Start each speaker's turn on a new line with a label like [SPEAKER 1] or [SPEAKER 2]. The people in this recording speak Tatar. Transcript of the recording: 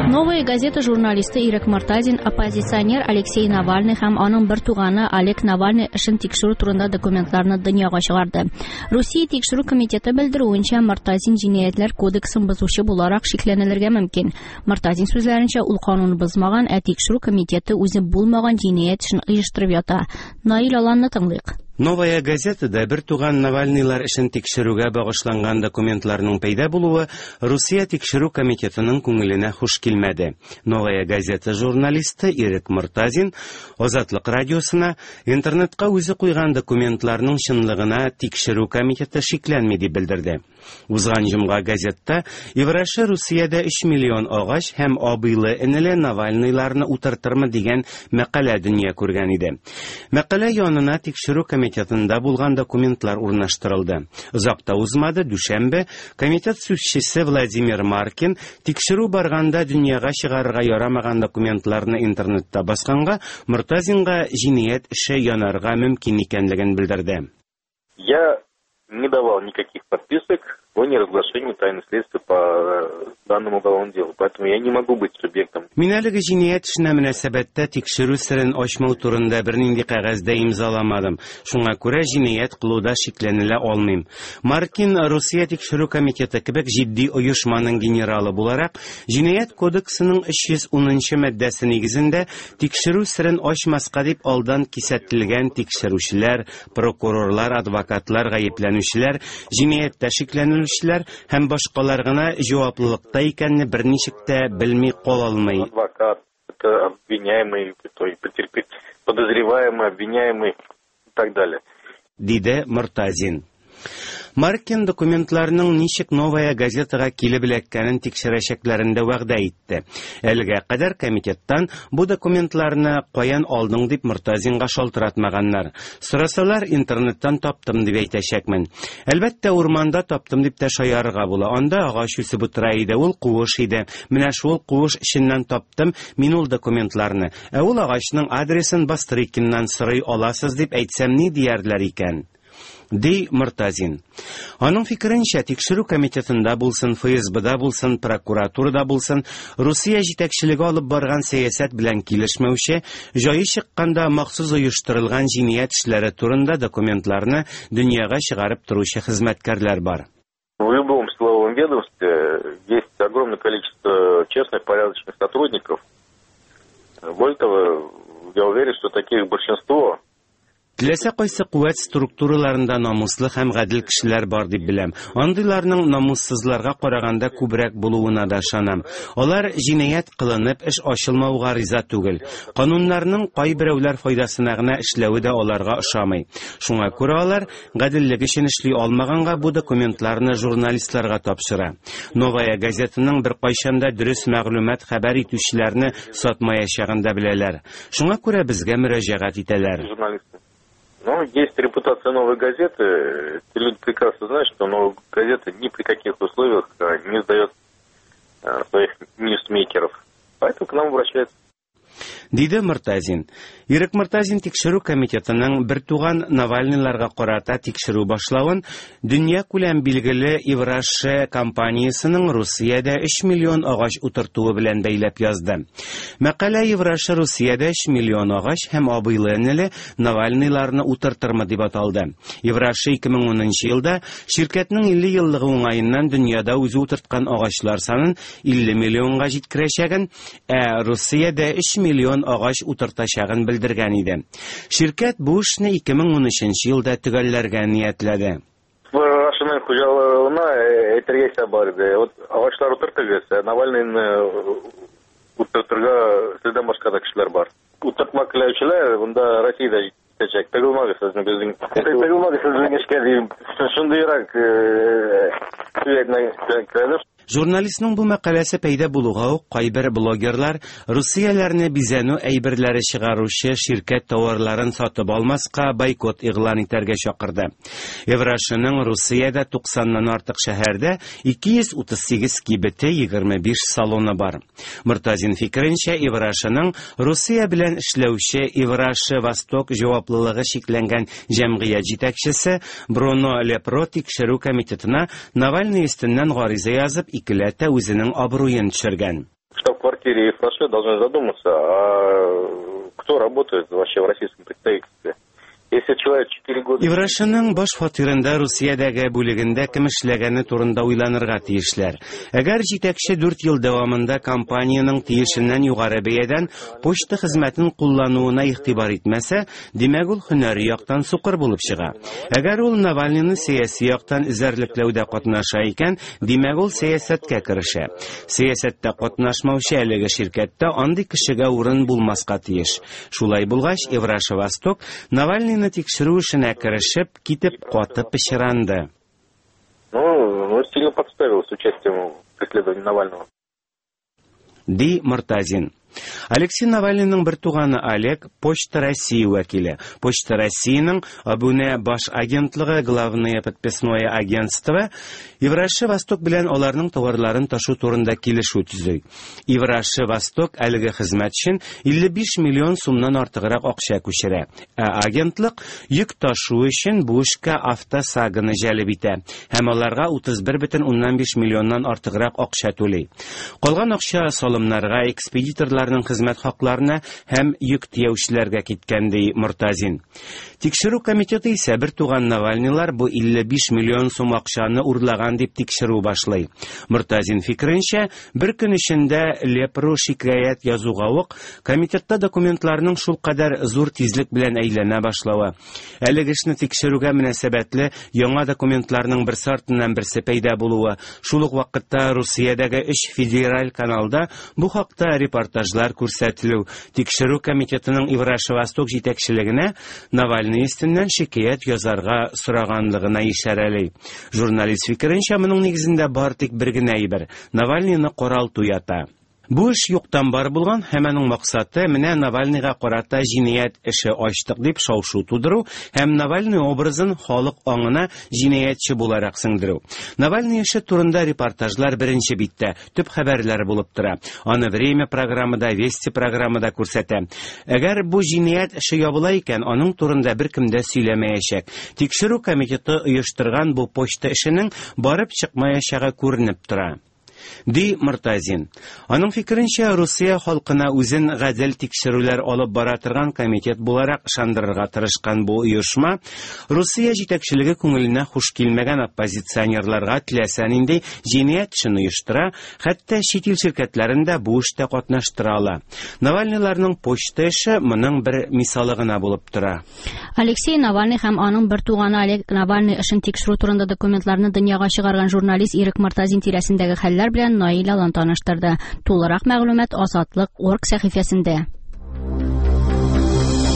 [SPEAKER 1] Новая газета журналисты Ирек Мортазин оппозиционер Алексей Навальный һәм аның бер туганы Олег Навальный эшен тикшерү турында документларны дөньяга чыгарды. Русия тикшерү комитеты белдерүенчә, Мортазин җинаятьләр кодексын бозучы буларак шикләнелергә мөмкин. Мортазин сүзләренчә, ул канун бозмаган, ә тикшерү комитеты үзе булмаган җинаять эшен оештырып ята. Наил Аланны тыңлыйк.
[SPEAKER 2] Новая газета да бертуган Навальныйлар эшен тикшерүгә багышланган документларның пәйда булуы Русия тикшерү комитетының күңеленә хуш килмәде. Новая газета журналисты Ирек Мортазин Азатлык радиосына интернетка үзе куйган документларның чынлыгына тикшерү комитеты шикләнми дип белдерде. Узган җомга газетта Евраша Русиядә 3 миллион агач һәм абыйлы-энеле Навальныйларны утыртырмы дигән мәкалә дөнья күргән иде. Мәкалә янына тикшерү комитетында булган документлар урнаштырылды. Озак та узмады, дүшәмбе комитет сүзчесе Владимир Маркин тикшерү барганда дөньяга чыгарырга ярамаган документларны интернетта басканга Мортазинга җинаять эше янарга мөмкин икәнлеген белдерде.
[SPEAKER 3] Я не давал никаких подписок о неразглашении тайны следствия по э, данному уголовному делу. Поэтому я не могу быть субъектом.
[SPEAKER 2] Мин әлеге җинаять эшенә мөнәсәбәттә тикшерү серен ачмау турында бернинди кәгазь дә имзаламадым. Шуңа күрә җинаять кылуда шикләнелә алмыйм. Маркин Русия тикшерү комитеты кебек җитди оешманың генералы буларак, җинаять кодексының 310 нчы маддәсе нигезендә тикшерү серен ачмаска дип алдан кисәтелгән тикшерүчеләр, Прокурорлар, адвокатлар, гаепләнүчеләр, җинаятьтә шикләнелүчеләр һәм башкалар гына җаваплылыкта икәнне берничек тә белми кала алмый.
[SPEAKER 3] Адвокат, это обвиняемый, то есть потерпи, подозреваемый, обвиняемый и так далее.
[SPEAKER 2] Диде Мортазин. Маркин документларның ничек Новая газетага килеп эләккәнен тикшерәчәкләрен дә вәгъдә итте. Әлегә кадәр комитеттан бу документларны каян алдың дип Мортазинга шалтыратмаганнар. Сорасалар, интернеттан таптым дип әйтәчәкмен. Әлбәттә, урманда таптым дип тә шаярырга була. Анда агач үсеп утыра иде, ул куыш иде. Менә шул куыш эченнән таптым мин ул документларны. Ә ул агачның адресын Бастрыкиннан сорый аласыз дип әйтсәм ни диярләр икән? Ди Мортазин. Аның фикеренчә, тикшерү комитетында булсын, ФСБда булсын, прокуратурада булсын, Русия җитәкчелеге алып барган сәясәт белән килешмәүче, җае чыкканда махсус оештырылган җинаять эшләре турында документларны дөньяга чыгарып торучы хезмәткәрләр бар.
[SPEAKER 3] В любом силовом ведомстве есть огромное количество честных, порядочных сотрудников. Более того, я уверен, что таких большинство.
[SPEAKER 2] Теләсә кайсы куәт структураларында намуслы һәм гадел кешеләр бар дип беләм. Андыйларның намуссызларга караганда күбрәк булуына да ышанам. Алар җинаять кылынып, эш ачылмауга риза түгел. Кануннарның кайберәүләр файдасына гына эшләве дә аларга ошамый. Шуңа күрә алар гаделлек өчен эшли алмаганга бу документларны журналистларга тапшыра. Новая газетаның беркайчан да дөрес мәгълүмат хәбәр итүчеләрне сатмаячагын да беләләр. Шуңа күрә безгә мөрәҗәгать итәләр.
[SPEAKER 3] Журналисты. Ну, есть репутация «Новой газеты». Эти люди прекрасно знают, что «Новая газета» ни при каких условиях не сдает своих ньюсмейкеров. Поэтому к нам обращаются.
[SPEAKER 2] Диде Мортазин. Ирек Мортазин тикшерү комитетының бертуган Навальныйларга карата тикшерү башлавын дөньякүләм билгеле Евраше компаниясенең Русиядә 3 миллион агач утыртуы белән бәйләп язды. Мәкалә Евраше Русиядә 3 миллион агач һәм абыйлы-энеле Навальныйларны утыртырмы дип аталды. Евраше 2010 нчы елда ширкәтнең 50 еллыгы уңаеннан дөньяда үзе утырткан агачлар санын 50 миллионга җиткерәчәген, ә Русиядә 3 миллион агач утыртачагын белдергән иде. Ширкәт бу эшне 2013 нче елда төгәлләргә ниятләде.
[SPEAKER 3] Рашының хуҗаларына әйтергә исәп бар иде. Вот агачлар утыртыгыз, ә Навальныйны утыртырга сездән башка да кешеләр бар. Утыртмак теләүчеләр монда Россиядә җитәчәк. Тыгылмагыз сезнең безнең. Тыгылмагыз сезнең эшкә дим. Шундыйрак сүз әйтмәк.
[SPEAKER 2] Журналистның бу мәкаләсе пәйда булуга ук кайбер блогерлар русияләрне бизәнү әйберләре чыгаручы ширкәт товарларын сатып алмаска бойкот игълан итәргә чакырды. Еврашының Русиядә 90ннан артык шәһәрдә 238 кибете, 25 салоны бар. Мортазин фикеренчә, Иврашының Русия белән эшләүче Иврашы Восток җаваплылыгы чикләнгән җәмгыять җитәкчесе Бруно Лепро тикшерү комитетына Навальный өстеннән гариза язып, икеләтә үзенең абруен төшергән.
[SPEAKER 3] Штаб-квартира штаб-квартире Ив Роше должны задуматься, а кто работает вообще в российском представительстве. Если человек 4 года...
[SPEAKER 2] Ив Рошеның баш фатирында Русиядәге бүлегендә кем эшләгәне турында уйланырга тиешләр. Әгәр җитәкче 4 ел дәвамында компаниянең тиешеннән югары бәядән почта хезмәтен куллануына игътибар итмәсә, димәк ул һөнәри яктан сукыр булып чыга. Әгәр ул Навальныйны сәяси яктан эзәрлекләүдә катнаша икән, димәк ул сәясәткә керешә. Сәясәттә катнашмаучы әлеге ширкәттә андый кешегә урын булмаска тиеш. Шулай булгач, Ив Роше Восток Навальныйны тикшерү эшенә керешеп, китеп каты пычранды.
[SPEAKER 3] Ну, сильно подставил с участием в преследовании Навального.
[SPEAKER 2] Ди Мортазин. Алексей Навальныйның бер туганы Олег Почта России вәкиле. Почта Россиянең абунә баш агентлыгы, главное подписное агентство Ив Роше Восток белән аларның товарларын ташу турында килешү төзи. Ив Роше Восток әлеге хезмәт өчен 55 миллион сумнан артыграк акча күчерә. Ә агентлык йөк ташу өчен бу эшкә Автосаганы җәлеп итә һәм аларга 31,5 миллионнан артыграк акча түли. Калган акча салымнарга, экспедиторларның хезмәт хакларына һәм йөк төяүчеләргә киткән, ди Мортазин. Тикшерү комитеты исә бер туган Навальныйлар бу 55 миллион сум акчаны урлаган дип тикшерү башлый. Мортазин фикеренчә, бер көн эчендә Лепру шикаять язуга ук комитетта документларның шул кадәр зур тизлек белән әйләнә башлавы, әлеге эшне тикшерүгә мөнәсәбәтле яңа документларның берсе артыннан берсе пәйда булуы, шул ук вакытта Русиядәге 3 федераль каналда бу хакта репортажлар күрсәтелү, тикшерү комитетының Ив Роше Восток җитәкчелегенә Навальный өстеннән шикаять язарга сораганлыгына ишарәли. Журналист фикеренчә, моның нигезендә бар тик бер генә әйбер: Навальныйны каралту ята. Бу эш юктан бар булган һәм аның максаты менә Навальныйга карата җинаять эше ачтык дип шау-шу тудыру һәм Навальный образын халык аңына җинаятьче буларак сеңдерү. Навальный эше турында репортажлар беренче биттә төп хәбәрләр булып тора. Аны Время программада, Вести программада күрсәтә. Әгәр бу җинаять эше ябыла икән, аның турында беркем дә сөйләмәячәк. Тикшерү комитеты оештырган бу почта эшенең барып чыкмаячагы күренеп тора. Ди Мортазин. Аның фикеренчә, Русия халкына үзен гадел тикшерүләр алып бара торган комитет буларак ышандырырга тырышкан бу оешма Русия җитәкчелеге күңеленә хуш килмәгән оппозиционерларга теләсә нинди җинаять эшен оештыра, хәтта чит ил ширкәтләрен дә бу эштә катнаштыра ала. Навальныйларның почта эше моның бер мисалы гына булып тора.
[SPEAKER 1] Алексей Навальный һәм аның бер туганы Олег Навальный эшен тикшерү турында документларны дөньяга чыгарган журналист Ирек Мортазин тирәсендәге хәлләр белән Наил Алан таныштырды. Тулырак мәгълүмат Азатлык орг сәхифәсендә.